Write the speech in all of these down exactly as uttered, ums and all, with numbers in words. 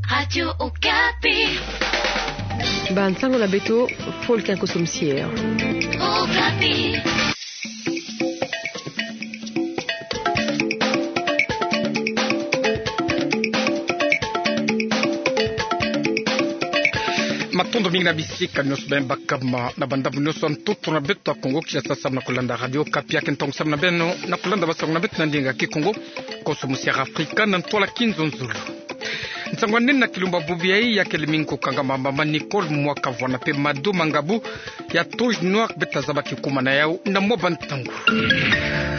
Radio Okapi. Bansango na beto, Paul Kiankoso Msier. Okapi. Matondo mingi na bisika nyonso beno bakama na bandambu nyonso ya ntoto na beto ya Kongo Kinshasa, samu na kulanda Radio Okapi. Yake ntangu samu na beno na kulanda bansango na beto na ndinga Kikongo, koso musi ya Afrika na ntwala Kinzonzolo. Nsangu ya nene na kilumbu ya bubu yai, ya kele mingi kukangama mama Nicole Mwaka Vwana pe Mado Mangabu ya Toge Noir, beta zaba kikuma na yau na mwa bantangu.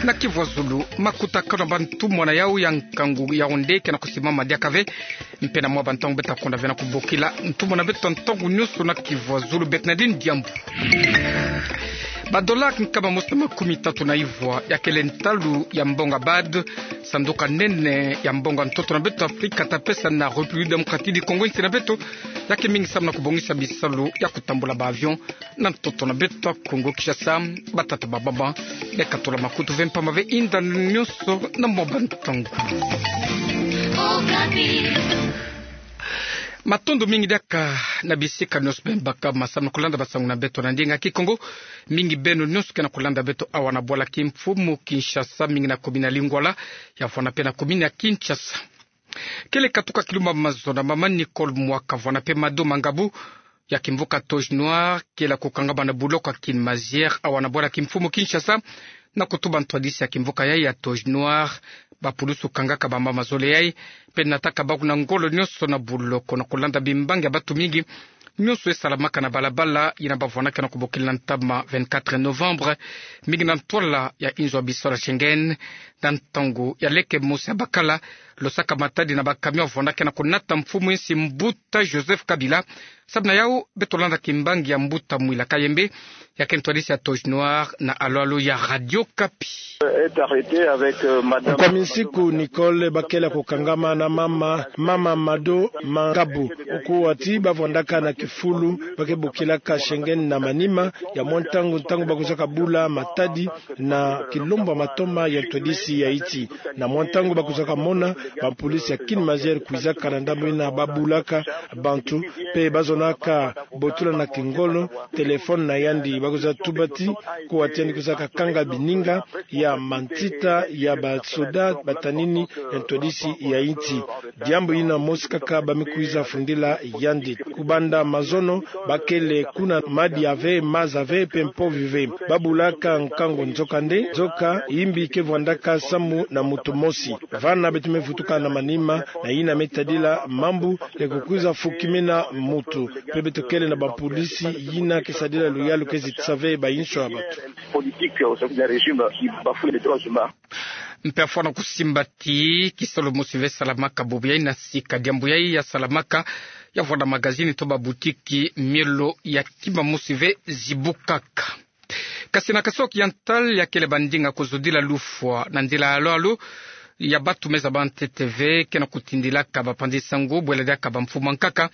Na Kivu ya Zulu, makuta kalo na bantumwa na yau ya nkangu Yaoundé kena kusimama diaka ve, mpe na mwa bantangu beta konda ve na kubokila ntumwa na beto ntangu nyonso na Kivu ya Zulu, Bernardine Diambu. Ba dollars nkama mosi na makumi tatu na ivwa ya kele ntalu ya mbongo ya BAD, sanduku ya nene ya mbongo ya ntoto na beto Afrika ta pesa na République Démocratique du Congo, insi na beto, yake mingi samu na kubongisa bisalu ya kutambula ba avion na ntoto na beto ya Kongo Kinshasa. Batata, bamama, bekatula makutu ve mpamba ve, inda nyonso na mwa bantangu. Matondo mingi diaka na bisika nyonso beno bakama samu na kulanda bansango na beto na ndinga Kikongo. Mingi beno nyonso kena kulanda beto awa na bwala kimfumu Kinshasa, mingi na commune ya Lingwala, ya Vwana pe na commune ya Kinshasa. Kele katuka kilumbu ya mazono, mama Nicole Mwaka Vwana pe Mado Mangabu ya kimvuka Toge Noir kele kukangama na buloko ya Kin Mazière awa na bwala kimfumu Kinshasa, na kutuba ntwadisi ya kimvuka yai ya Toge Noir. Bapulusu kangaka bamama zole yai, pe nataka bau na ngolo nyonso na buloko na kulanda bimbangi ya bantu mingi nyonso esalamaka na balabala yina bavwanaka na kubokila na ntama vingt-quatre novembre, mingi na ntwala ya inzo ya bisalu ya Schengen, na ntangu ya leke mosi ya bakala, losaka matadi na ba camion vwanaka na kunata mfumu insi Mbuta Joseph Kabila. Samu na yau, beto landa kimbangi ya Mbuta Mwila Kayembe, yake ntwadisi ya Toge Noir na alo-alo ya Radio Okapi. Est arrêté avec, euh, madame Nkwami nsiku Nicole bakele kukangama na mama, mama Mado Mangabu. Oku wati bavwandaka na kifulu ba ke bokilaka Schengen na manima ya mwa ntangu, ntangu bakwizaka bula matadi na kilombo ya matoma ya ntwadisi ya insi. Na mwa ntangu bakwizaka mona bampolisi ya Kin Mazière kwizaka na ndambu yina babulaka bantu, pe bazonaka botula na kingolo téléphone na yandi. Bakwiza tuba ti oku wati yandi kwizaka kanga bininga ya mantita ya basoda batanini ya ntwadisi ya insi. Diambu yina mosi kaka ba me kwiza fundila yandi. Kubanda mazono, bakele kuna madi ave, maza ave, pe mpovi ve. Babulaka nkangu nzoka nde, nzoka imbi ke vwandaka samu na muntu mosi. Vana beto me vutuka na manima na yina me tadila mambu ya kukwiza fukimina muntu. Pe beto kele na bampolisi yina ke sadila luyalu ke zitisa ve bainso ya bantu. Politique au service d'un régime qui bafoue les droits humains. Mpe afwana kusimba ti kisalu mosi ve salamaka bubu yai na sika diambu yai ya salamaka, ya vwanda magazini to babutiki mielo ya kima mosi ve zibukaka. Kasi na Kasaï Oriental ya kele bandinga kuzodila lufwa na nzila ya alo-alo ya bantu me zaba ntete ve, kena kutindilaka bapanzi nsangu bwela diaka bamfumu ya nkaka.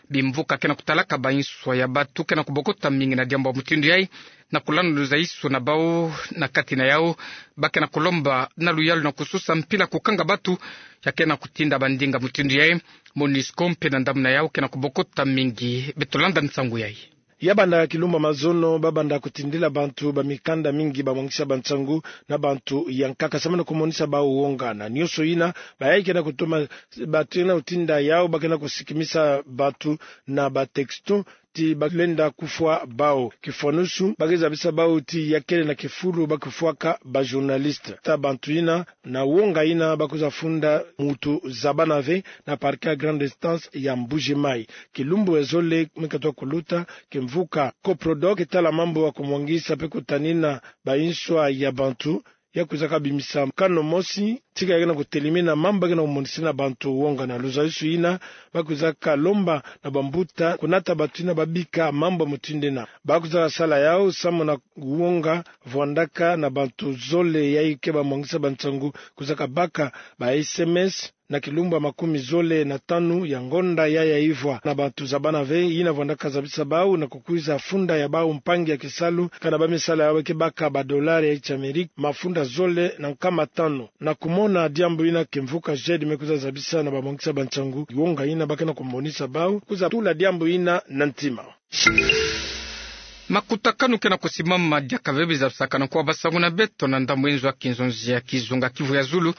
Bimvuka kena kutalaka bainso ya bantu kena kubokota mingi na diambu ya mutindu yai, na kulanda luzaisu na bau. Na kati na yau, ba kena kulomba na luyalu na kususa mpila kukanga bantu ya kena kutinda bandinga mutindu yai. Monusco mpe na ndambu na yau kena kubokota mingi. Beto landa nsangu yai. Ya banda kilumbu ya mazono, babanda kutindila bantu bamikanda mingi, bamwangisa bansangu na bantu ya nkaka samu na kumonisa bau wonga. Na nyonso yina, bayai kena kutuma, bantu yina kutinda yau, ba kena kusikimisa bantu na batexto ti balenda kufwa bau. Kifwanusu, ba ke zabisa bau ti ya kele na kifulu ba kufwaka bajournaliste. Ta bantu yina, na wonga yina, bakwiza funda muntu zabana ve na parquet ya grande instance ya Mbuji-Mayi. Kilumbu ya zole me katuka kuluta, kimvuka Coprodoc, ketala mambu ya kumwangisa pe kutanina bainso ya bantu, ya kwizaka bimisa mokano mosi, tika ya kena kutelimina mambu ya kena kumonisina bantu wonga. Na luzaisu yina, bakwizaka lomba na bambuta kunata bantu yina babika mambu ya mutindu yina. Bakwizaka sala yau samu na wonga vwandaka na bantu zole yai ke bamwangisa bansangu, kwizaka baka ba SMS na kilumbu ya makumi zole na tanu ya ngonda ya ya ivwa. Na bantu zabana ve, yina vwandaka zabisa bau na kukwiza funda ya bau mpangi ya kisalu, kana bamesala ya baki baka ba dolari ya insi ya Amerika mafunda zole na nkama tanu. Na kumona diambu yina, kimvuka Jed me kwiza zabisa na bamongisa ba nsangu, wonga yina ba kena kumonisa bau, kwiza tula diambu yina na ntima. Makutakanu kena kusimama diaka ve, bizabisakana kwa basangu na beto na ndambu nzo ya kinzonzi ya kizunga Kivu ya Zulu.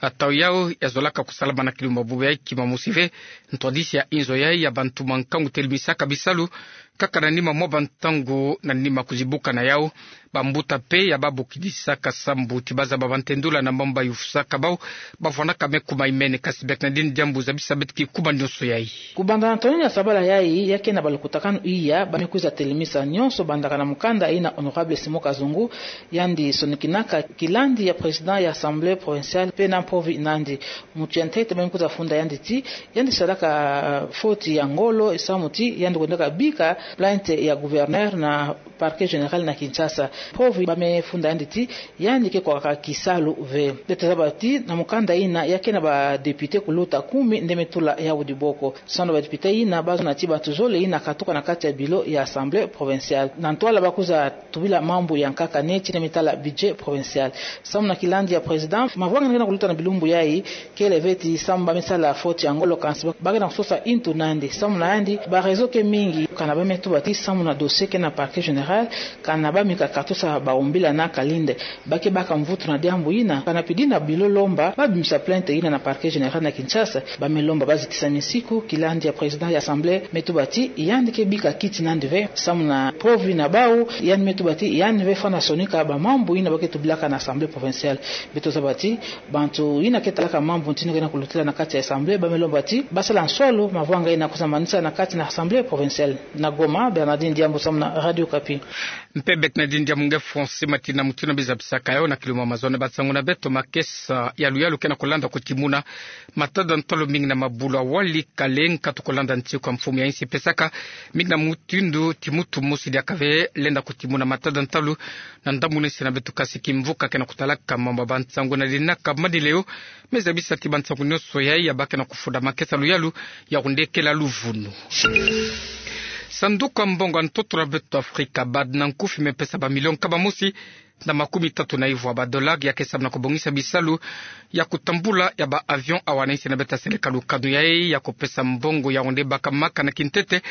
Atao yau yazolaka kusalama na kilumbu ya bubu ya kima mosi ve, ntwadisi ya nzo yai ya bantu mankangu telimisaka bisalu, kaka na nima mwa bantangu na nima kuzibuka na yau. Bambuta pe ya babokidisaka sambu ti bazaba bantendula na mamba yufusaka bau, bavwanaka me kuma imene. Kasi Bernadine Diambu zabisa beto kikuma nionso yai. Kubanda na ntwani ya sabala yai, ya kena balukutakanu iya, ba me kwiza telimisa nionso bandaka na mukanda yina Honorable Simon Kazungu yandi sonikinaka, kilandi ya président ya Assemblée provinciale pe na mpovi nandi. Mutu ya ntete ba me kwiza funda yandi ti yandi salaka, uh, faute ya ngolo, samu ti yandi kwendaka bika plainte ya gouverneur na Parquet général na Kinshasa. Mpovi ba me funda yandi ti yandi ke kwaka kisalu ve. Beto zaba ti na mukanda yina, ya kena ba député kuluta kumi nde me tula yau diboko. Samu na ba député yina bazona ti bantu zole yina katuka na kati ya bureau ya Assemblée provinciale. Na ntwala ba kwiza tubila mambu ya nkaka neti na mitala budget provincial. Samu na kilandi ya président, mavwanga yina kena kuluta na bilumbu yai, kele ve ti samu ba me sala faute ya ngolo, kansi ba kena kusosa ntu nandi. Samu na yandi, ba raison ke mingi, kana ba me tuba ti samu na dossier ke na Parquet général, kana ba mika katusa baumbila na kalinde. Ba ke baka mvutu na diambu yina, kana pidi na bilo lomba ba bimisa plainte yina na Parquet général na Kinshasa. Ba me lomba bazitisa misiku. Kilandi ya président ya Assemblée me tuba ti yandi ke bika kiti nandi ve, samu na mpovi na bau, yandi me tuba ti yandi ve fwana sonika bamambu yina ba ke tubilaka na Assemblée provinciale. Beto zaba ti bantu yina ke talaka mambu ntinu kena kulutila na kati ya Assemblée, ba me lomba ti basala nswalu mavwanga yina kwiza manisa na kati na Assemblée provinciale. Na Goma, Bernadine Diambu samu na Radio Okapi. Mpe Bernadine Diambu nge François Matina, mutindu na bizabisaka yau na kilumbu ya mazono, basangu na beto, makesa ya luyalu kena kulanda kutimuna. Matada ntalo mingi na mabulu awali kale nkatu kulanda ntiku ya mfumu ya insi, pesaka mingi na mutindu ti mutu mosi diaka ve lenda kutimuna matada ntalo na ndambu na insi na beto. Kasi kimvuka kena kutalaka mamba bansangu na dinaka mani leo, me zabisa ti bansangu nionso yai ya ba kena kufunda makesa luyalu, ya kunde kela luvunu. Sanduku ya mbongo ya ntoto na beto Afrika, BAD, na nkufi me pesa bamilio nkama mosi na makumi tatu na ivwa ba dollar, ya ke samu na kubongisa bisalu ya kutambula ya ba avion awa na insi na beto. Seleka lukanu yai ya kupesa mbongo ya kunde baka maka na kintete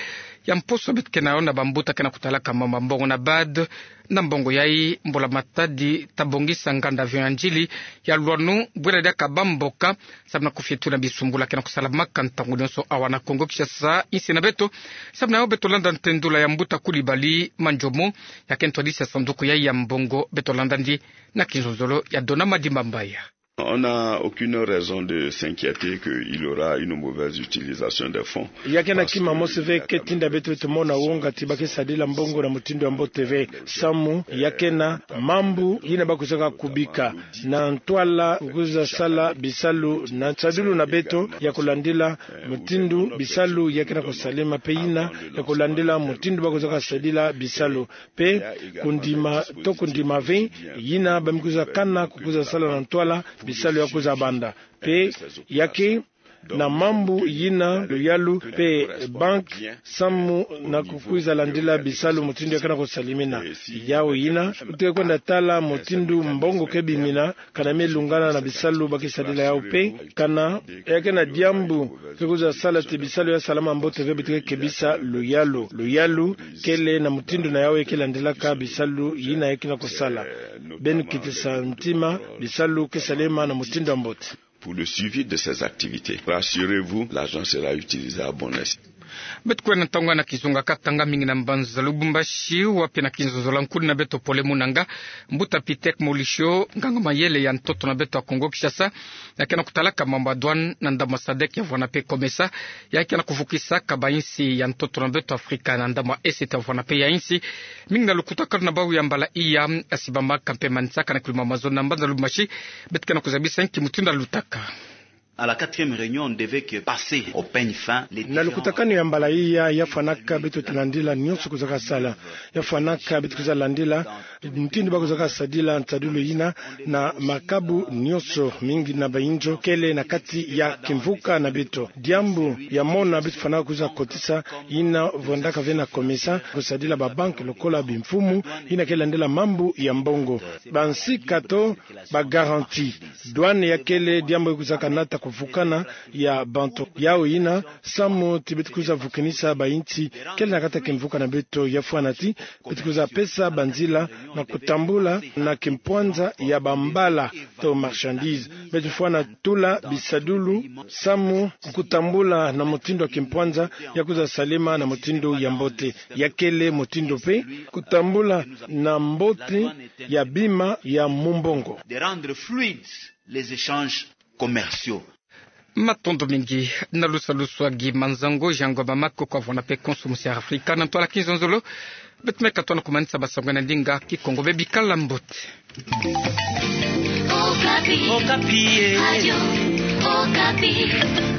ya mposo beto kena yo na bambuta kena kutalaka mamba mbongo na BAD. Na mbongo yai, mbula matadi ta bongisa nganda avion ya njili ya lwanu bwela diaka bamboka, samu na kufietuna bisumbula kena kusala maka ntangu nionso awa na Kongo Kinshasa, insi na beto. Samu na yau beto landa ntendula ya mbuta Coulibaly Mandjomo, ya ke ntwadisi ya sanduku yai ya mbongo. Beto landa ndi na kinzonzolo ya Dona Madimba Mbaya. On n'a aucune raison de s'inquiéter qu'il y aura une mauvaise utilisation des fonds. Ya kena kima mosi ve ke tinda beto tumona wonga ti ba ke sadila mbongo na mutindu ya mbote ve. Samu ya kena mambu yina ba kwizaka kubika na ntwala kukwiza sala bisalu na nsadilu na beto ya kulandila mutindu bisalu ya kena kusalama, pe yina ya kulandila mutindu ba kwizaka sadila bisalu. Pe kundima, to kundima ve yina ba me kwiza kana kukwiza sala na ntwala bisalu ya kwiza banda. Pe ya ke na mambu yina luyalu pe banki samu na kukwiza landila bisalu mutindu ya kena kusalamina. Yau yina, tu ke kwenda tala mutindu mbongo ke bimina, kana me lungana na bisalu ba ke sadila yau pe, kana ya kena diambu ke kwiza sala ti bisalu ya salama mbote ve, beto ke kebisa luyalu. Luyalu kele na mutindu na yau ya ke landilaka bisalu yina ya kena kusala. Beno kitisa ntima, bisalu ke salama na mutindu ya mbote. Pour le suivi de ces activités. Rassurez-vous, l'argent sera utilisé à bon escient. Beto kwenda ntangu na kizunga Katanga, mingi na mbanza Lubumbashi, wapi na kinzonzolo ya nkuni na beto Pole Munanga, mbuta Pitek Molisho, nganga mayele ya ntoto na beto ya Kongo Kinshasa, ya kena kutalaka mamba douane na ndambu ya sadek ya vwanda pe COMESA, ya kena kuvukisaka ba insi ya ntoto na beto Afrika na ndambu ya Est ya vwanda pe ya insi. Mingi na lukutakanu na bau ya mbala iya, asimbamaka mpe manisaka na kilumbu ya mazono na mbanza Lubumbashi. Beto kena kuzabisa nki mutindu ya lutaka. À la quatrième réunion, on ne devait que passer au peigne fin. Na lukutakanu ya mbala iya, ya fwanaka beto tulandila nyonso kuzaka sala. Ya fwanaka beto kuzalandila mutindu bakuzaka sadila nsadulu yina na makabu nyonso, mingi na bayinzo kele na kati ya kimvuka na beto. Diambu ya mona beto fwanaka kuza kotisa yina vwendaka ve na komesa kusadila babanki lokola bimfumu yina ke landila mambu ya mbongo. Bansika to bagaranti. Douane ya kele diambu kuzaka nata kuvukana ya bantu. Yau yina samu ti beto kuza vukinisa bayinti kele na kati ya kimvuka na beto, ya fwana ti beto kuza pesa banzila na kutambula na kimpwanza ya bambala to marchandise. Beto fwana tula bisadulu samu kutambula na mutindu ya kimpwanza ya kuza salema na mutindu ya mbote. Ya kele mutindu mpe kutambula na mbote ya bima ya mumbongo. De rendre fluides les échanges commerciaux. Matondo mingi. Na lusalusu ya gi manzango, jango ba mako kwa vona pe konso musi Afrika na ntwala kizonzolo. Beto meka tona kumanisa basango na ndinga Kikongo. Bê bikala mbote. Okapi. Okapi, eh. Radio Okapi.